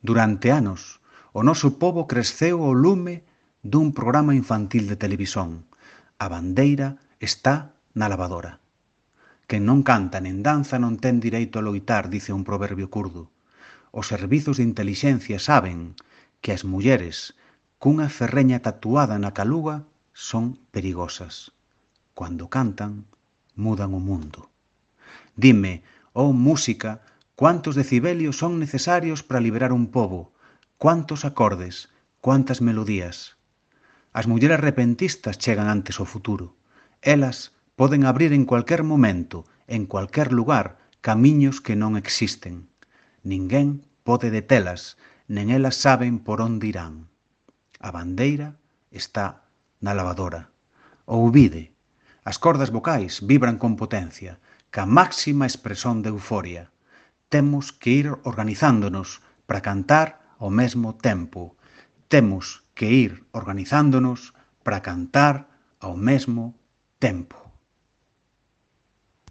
Durante anos, o noso pobo creceu ao lume dun programa infantil de televisión. A bandeira está na lavadora. Quen non canta nen danza non ten direito a loitar, dice un proverbio curdo. Os servizos de intelixencia saben que as mulleres cunha ferreña tatuada na caluga son perigosas. Cando cantan, mudan o mundo. Dime, oh música, cuántos decibelios son necesarios para liberar un pobo, cuántos acordes, cuántas melodías. As mulleres repentistas chegan antes ao futuro. Elas poden abrir en cualquier momento, en cualquier lugar, camiños que non existen. Ninguén pode detelas, nen elas saben por onde irán. A bandeira está na lavadora. Ouvide, as cordas vocais vibran con potencia, ca máxima expresión de euforia. Temos que ir organizándonos para cantar ao mesmo tempo. Temos que ir organizándonos para cantar ao mesmo tempo.